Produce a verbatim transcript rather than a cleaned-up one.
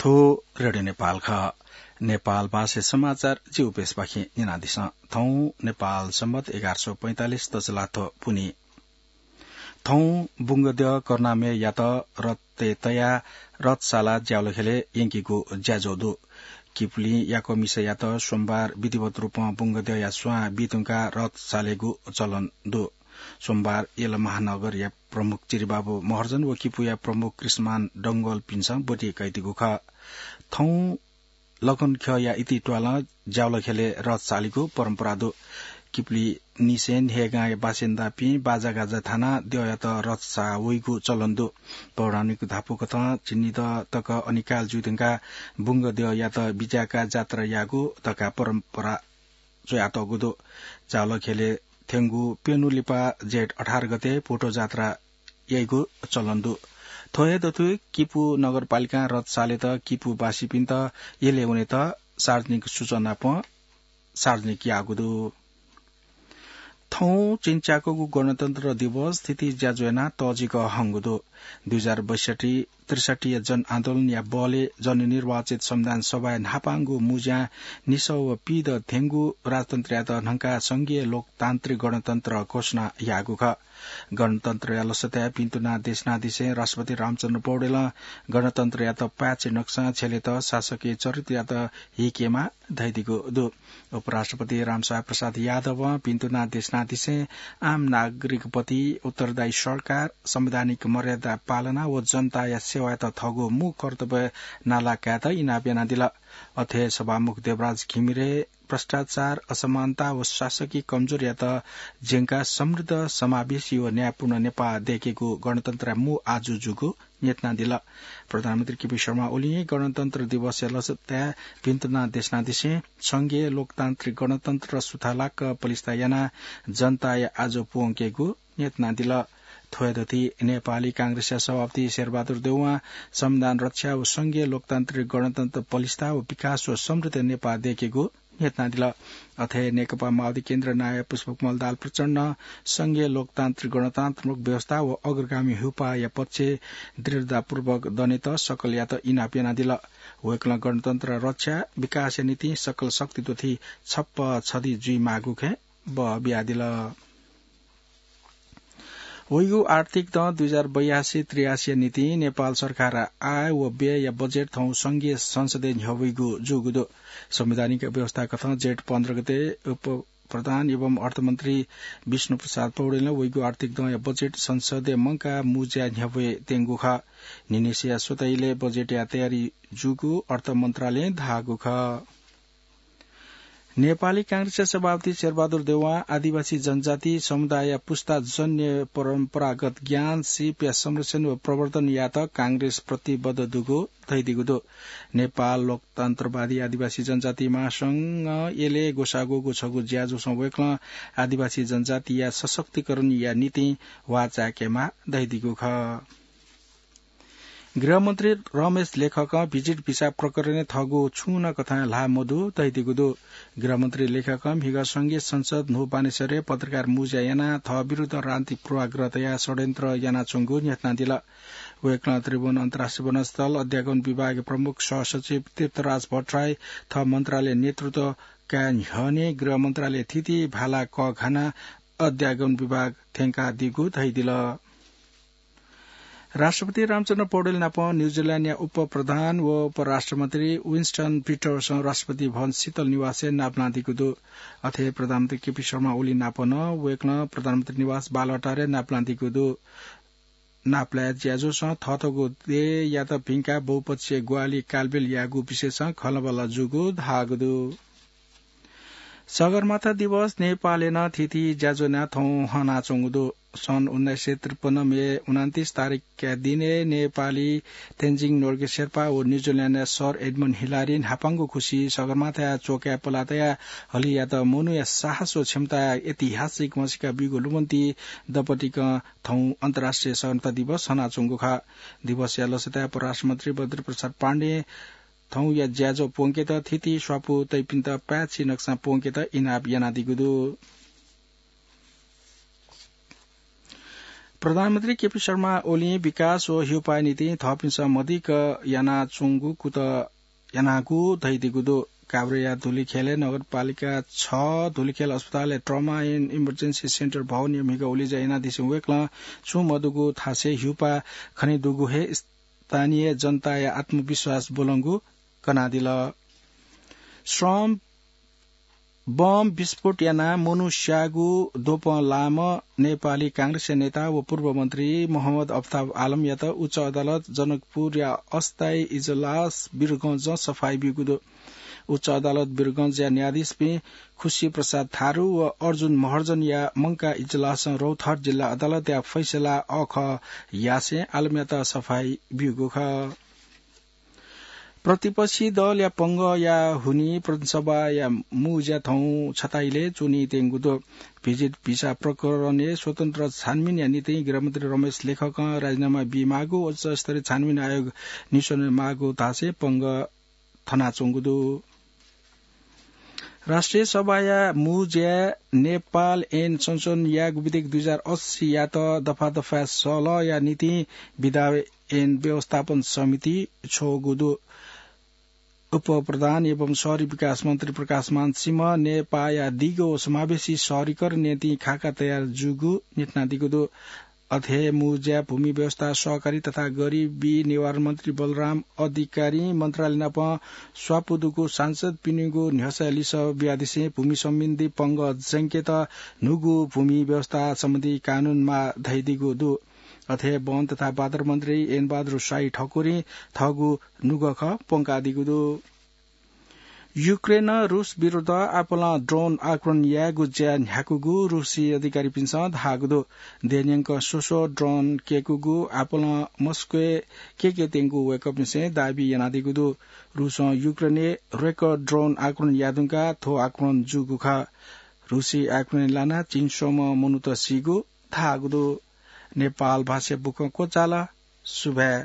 थ्व रेडियो नेपाल खः। नेपाल भाषा समाचार जि उपेशपाखें न्यनादिसँ। थौं नेपाल सम्बत एघार सौ पैंतालिस तजलाथ्व पुन्हि। थौं बुंगद्यः करुणामययात रथय् तयाः रथशाला ज्यावलखेलय् यंकेगु ज्याझ्वः दु। किपुलिं याकःमिसंयात सोमबार विधिवत रूपं बुंगद्यःया स्वां बी धुंकाः रथ सालेगु चलन दु। सोमबार यल महानगरया प्रमुख चिरिबाबु महर्जन व किपुया प्रमुख कृष्णमान डंगोलपिन्सं ब्वति कयादीगु खः। थौं लगनख्यःया इतित्वालं ज्यावलखेलय् रथ सालीगु परम्परा दु। किपुलिनिसें न्हय्‌गांया बासिन्दापिं बाजागाजा थानाः द्यःयात रथ साः वइगु चलन दु। पौराणिक धापू कथं झिंनिदँ तक अनिकाल जुइ धुंकाः बुंगद्यःयात बिज्याकाः जात्रा याःगु धकाः परम्परा च्वयातःगु दु। ज्यावलखेलय् थ्यंगु प्यन्हु लिपा जेठ अठार गते भुटो जात्रा याइगु चलन दु। थ्व हे दथुइ किपू नगरपालिकां रथ सालेत किपूवासीपिन्त यलय् वनेत सार्वजनिक सूचना नापं सार्वजनिक याःगु दु। थौं च्वंच्वयागु गणतन्त्र दिवस थीथी ज्याझ्वः यानाः तःजिक हंगु दु। दुई हजार बैसठ्ठी त्रिसठ्ठीया जनआन्दोलनया बलय् जननिर्वाचित संविधान सभाया न्हापांगु मुँज्यां निसः व पीदँ ध्यंगु राजतन्त्रयात न्हंकाः संघीय लोकतान्त्रिक गणतन्त्र घोषणा याःगु खः। गणतन्त्रया लसताय् भिन्तुना देशनादिसें राष्ट्रपति रामचन्द्र पौडेलं गणतन्त्रयात पाय्छि नकसां छ्यलेत शासकीय चरित्रयात हीकेमाः धयादीगु दु। उपराष्ट्रपति रामसहाय प्रसाद यादवं भिन्तुना देशनादिसें आम नागरिकप्रति उत्तरदायी सरकार, संवैधानिक मर्यादा पालना व जनताया सेवायात थःगु मू कर्तव्य नाला कायेत इनाप यानादिल। अथे सभामुख देवराज घिमिरे भ्रष्टाचार, असमानता व शासकीय कमजोरीयात ज्यंकाः समृद्ध, समावेशी व न्यायपूर्ण नेपाः दय्‌केगु गणतन्त्रया मू आजु जूगु न्ह्यथनादिल। प्रधानमन्त्री केपी शर्मा ओलीं गणतन्त्र दिवसया लसताय् भिन्तुना देशनादिसें संघीय लोकतान्त्रिक गणतन्त्र सुथालाक पलिस्था यानाः जनताया आजु प्वंकेगु न्ह्यथनादिल। थ्व हे दथुइ नेपाली कांग्रेसया सभापति शेरबहादुर देउवां संविधान रक्षा व संघीय लोकतान्त्रिक गणतन्त्र पलिस्था व विकास व समृद्ध नेपाः दय्‌केगु न्ह्यथनादिल। अथे नेकपा माओवादी केन्द्र नायः पुष्पकमल दाहाल प्रचण्डं संघीय लोकतान्त्रिक गणतन्त्रात्मक व्यवस्था व अग्रगामी ह्युपाःया पक्षय् दृढतापूर्वक दनेत सकलयात इनाप यानादिल। वय्‌कलं गणतन्त्र रक्षा, विकासया निंतिं सकल शक्ति दथुइ छप्पँ छधी जुइमाःगु खँय् बः बियादिल। वइगु आर्थिक दँ दुई हजार बयासी त्रियासीया निंतिं नेपाल सरकारया आय व व्ययया बजेट थौं संघीय संसदय् न्ह्यब्वइगु जूगु दु। संवैधानिक व्यवस्था कथं जेठ पन्ध्र गते उपप्रधान एवं अर्थमन्त्री विष्णुप्रसाद पौडेलं वइगु आर्थिक दँया बजेट संसदय् मंकाः मुँज्याय् न्ह्यब्वये त्यंगु खः। न्हिनिसिया स्वता इलय् बजेटया तयारी जूगु अर्थ मन्त्रालयं धाःगु खः। नेपाली कांग्रेसया सभापति शेरबहादुर देउवां आदिवासी जनजाति समुदायया पुस्ताजन्य परम्परागत ज्ञान, सिपया संरक्षण व प्रवर्धन यायेत कांग्रेस प्रतिबद्ध दुगु धयादीगु दु। नेपाल लोकतन्त्रवादी आदिवासी जनजाति महासंघं यलय् ग्वसाः ग्वःगु छगू ज्याझ्वलय् वय्‌कलं आदिवासी जनजातिया सशक्तिकरणया निंतिं वाः चाय्‌केमाः धयादीगु खः। गृहमन्त्री रमेश लेखकं भिजिट भिसा प्रकरणय् थःगु छुं नं कथं ल्हाः मदु धयादीगु दु। गृहमन्त्री लेखकं म्हिगः संघीय संसद न्हू बानेश्वरय् पत्रकार मुँज्या यानाः थः विरुद्ध राजनीतिक पूर्वाग्रह तयाः षड्यन्त्र यानाच्वंगु न्ह्यथनादिल। वय्‌कलं त्रिभुवन अन्तर्राष्ट्रिय विमानस्थल अध्यागमन विभागया प्रमुख सहसचिव तीर्थराज भट्टराई थः मन्त्रालय नेतृत्व काये न्ह्यःने गृह मन्त्रालय थीथी भाला कःघानाः अध्यागमन विभाग थ्यंकादीगु धयादिल। राष्ट्रपति रामचन्द्र पौडेल नाप न्यूजिल्याण्डया उपप्रधान व उपराष्ट्रमन्त्री विन्स्टन पिटर्सन राष्ट्रपति भवन शीतल निवासय् नापलानादीगु दु। अथे प्रधानमन्त्री केपी शर्मा ओली नाप नं वय्‌कलं प्रधानमन्त्री निवास बालुवाटारय् नापलानादीगु दु। नापलाये ज्याझ्वलं थःथःगु देय्‌यात भिंकाः बहुपक्षीय ग्वाहालि कालबेल याःगु विषयय् खँल्हाबल्हा जूगु धाःगु दु। सगरमाथा दिवस नेपालय् नं थीथी ज्याझ्वः यानाः थौं हनाच्वंगु दु। सन् उन्नाइस सय त्रिपन्न मे उनन्तीस तारिखया दिनय् नेपाली तेन्जिङ नोर्गे शेर्पा व न्यूजिल्याण्डया सर एडमन्ड हिलारी न्हापांगु खुसि सगरमाथाया च्वकाय् पलाः तयाः हलियात मनूया साहस व क्षमताया ऐतिहासिक म्हसीका बीगु लुमन्ति दँपतिकं थौं अन्तर्राष्ट्रिय सगरमाथा दिवस हनाच्वंगु खः। दिवसया लसताय् परराष्ट्रमन्त्री बद्रीप्रसाद पाण्डें थौंया ज्याझ्वः प्वंकेत थीथी स्वापू तइपिन्त पाय्‌छि नकसां प्वंकेत इनाप यानादीगु दु। प्रधानमन्त्री केपी शर्मा ओलीं विकास व ह्यूपाया निंतिं थःपिन्सं मदिक्क यानाच्वंगु कुतः यानागु धइदिगु दु। काभ्रेया धुलिखेलय् नगरपालिका छ धुलिखेल अस्पतालय् trauma and emergency center भवनया म्हिगः उलेज्या यानादिसें वय्कलं छुं मदुगु थासय् ह्यूपा खनेदुगु हे स्थानीय जनताया आत्मविश्वास ब्वलंगु कनादिल। श्रम बम विस्फोट यानाः मनू स्याःगु द्वपं लाःम्ह नेपाली कांग्रेसया नेता व पूर्व मन्त्री मोहम्मद अफताब आलमयात उच्च अदालत जनकपुरया अस्थायी इजलास वीरगंजं सफाई ब्यूगु दु। उच्च अदालत वीरगंजया न्यायाधीशपिं खुशी प्रसाद थारु व अर्जुन महर्जनया मंकाः इजलासं रौतहट जिल्ला अदालतया फैसला अःखः यासें आलमयात सफाई ब्यूगु खः। प्रतिपक्षी दलया पंगःया हुनिं प्रतिनिधि सभाया मू ज्या थौं छता इलय् च्वनीत्यंगु दु। भिजिट भिसा प्रकरणय् स्वतन्त्र छानबिनया निंतिं गृहमन्त्री रमेश लेखकं राजीनामा बीमाःगु उच्चस्तरीय छानबिन आयोग निस्वने माःगु धासें पंगः थनाच्वंगु दु। राष्ट्रिय सभाया मू ज्याय् नेपाल ऐन संशोधन यायेगु विधेयक दुई हजार अस्सीयात दफा दफाय् सलहया निंतिं विधायन व्यवस्थापन समिति छ्वःगु दु। उपप्रधान एवं शहरी विकास मन्त्री प्रकाशमान सिंहं नेपाःया दीगः व समावेशी शहरीकरणया निंतिं खाका तयार जूगु न्ह्यथनादीगु दु। अथे हे मू ज्याय् भूमि व्यवस्था, सहकारी तथा गरिबी निवारण मन्त्री बलराम अधिकारीं मन्त्रालय नाप स्वापू दुगु सांसदपिनिगु न्ह्यसःया लिसः बियादिसें भूमि सम्बन्धी पंगः जंकेत न्हूगु भूमि व्यवस्था सम्बन्धी कानून माः धयादीगु दु। अथे हे वन तथा बादर मन्त्री एन बहादुर शाही ठकुरीं थःगु नुगः खँ प्वंकादीगु दु। युक्रेनं रुस विरुद्ध आपालं ड्रोन आक्रमण यायेगु ज्या न्ह्याकूगु रुसी अधिकारीपिन्सं धाःगु दु। देय्‌न्यंक स्वस्वः ड्रोन कय्‌कूगु आपालं मस्कोय् कय्‌केत्यंगु वय्‌कःपिन्सं दाबी यानादीगु दु। रुसं युक्रेनय् रेकर्ड ड्रोन आक्रमण याये धुंकाः थ्व आक्रमण जूगु खः। रुसी आक्रमणय् लानाः झिंस्वम्ह मनूत सीगु धाःगु दु। नेपाल भाषा बुखँ क्वचाल। सुभाय्।